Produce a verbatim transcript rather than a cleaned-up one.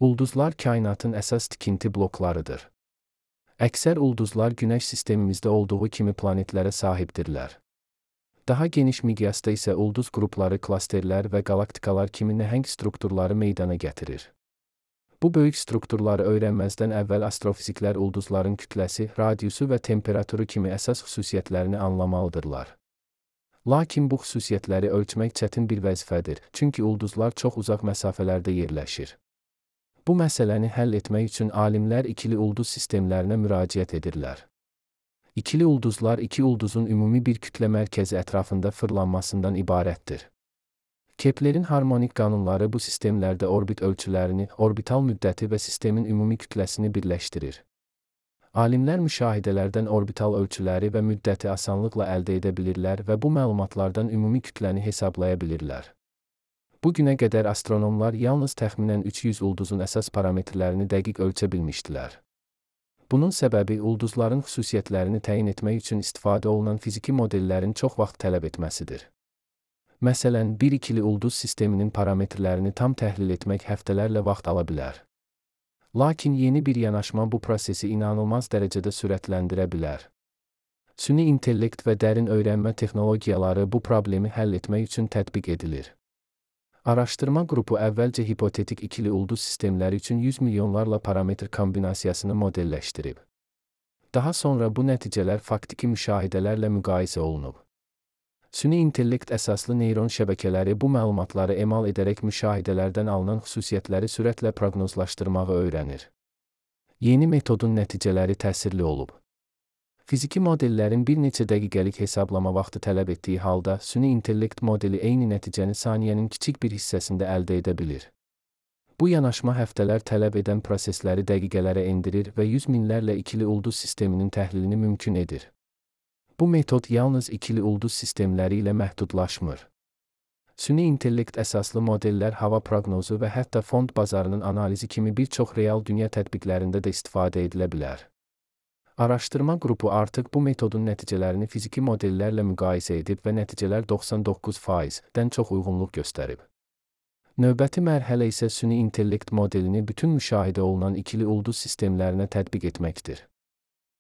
Ulduzlar kainatın əsas tikinti bloklarıdır. Əksər ulduzlar Günəş sistemimizdə olduğu kimi planetlərə sahibdirlər. Daha geniş miqyasda isə ulduz qrupları, klasterlər və qalaktikalar kimi nəhəng strukturları meydana gətirir. Bu böyük strukturları öyrənməzdən əvvəl astrofiziklər ulduzların kütləsi, radiusu və temperaturu kimi əsas xüsusiyyətlərini anlamalıdırlar. Lakin bu xüsusiyyətləri ölçmək çətin bir vəzifədir, çünki ulduzlar çox uzaq məsafələrdə yerləşir. Bu məsələni həll etmək üçün alimlər ikili ulduz sistemlərinə müraciət edirlər. İkili ulduzlar iki ulduzun ümumi bir kütlə mərkəzi ətrafında fırlanmasından ibarətdir. Keplerin harmonik qanunları bu sistemlərdə orbit ölçülərini, orbital müddəti və sistemin ümumi kütləsini birləşdirir. Alimlər müşahidələrdən orbital ölçüləri və müddəti asanlıqla əldə edə bilirlər və bu məlumatlardan ümumi kütləni hesablaya bilirlər. Bu günə qədər astronomlar yalnız təxminən üç yüz ulduzun əsas parametrlərini dəqiq ölçə bilmişdilər. Bunun səbəbi ulduzların xüsusiyyətlərini təyin etmək üçün istifadə olunan fiziki modellərin çox vaxt tələb etməsidir. Məsələn, bir ikili ulduz sisteminin parametrlərini tam təhlil etmək həftələrlə vaxt ala bilər. Lakin yeni bir yanaşma bu prosesi inanılmaz dərəcədə sürətləndirə bilər. Süni intellekt və dərin öyrənmə texnologiyaları bu problemi həll etmək üçün tətbiq edilir. Araşdırma qrupu əvvəlcə hipotetik ikili ulduz sistemləri üçün yüz milyonlarla parametr kombinasiyasını modelləşdirib. Daha sonra bu nəticələr faktiki müşahidələrlə müqayisə olunub. Süni intellekt əsaslı neyron şəbəkələri bu məlumatları emal edərək müşahidələrdən alınan xüsusiyyətləri sürətlə proqnozlaşdırmağı öyrənir. Yeni metodun nəticələri təsirli olub. Fiziki modellərin bir neçə dəqiqəlik hesablama vaxtı tələb etdiyi halda, süni intellekt modeli eyni nəticəni saniyənin kiçik bir hissəsində əldə edə bilir. Bu yanaşma həftələr tələb edən prosesləri dəqiqələrə endirir və yüz minlərlə ikili ulduz sisteminin təhlilini mümkün edir. Bu metod yalnız ikili ulduz sistemləri ilə məhdudlaşmır. Süni intellekt əsaslı modellər hava proqnozu və hətta fond bazarının analizi kimi bir çox real dünya tətbiqlərində də istifadə edilə bilər. Araşdırma qrupu artıq bu metodun nəticələrini fiziki modellərlə müqayisə edib və nəticələr doxsan doqquz faizdən çox uyğunluq göstərib. Növbəti mərhələ isə süni intellekt modelini bütün müşahidə olunan ikili ulduz sistemlərinə tətbiq etməkdir.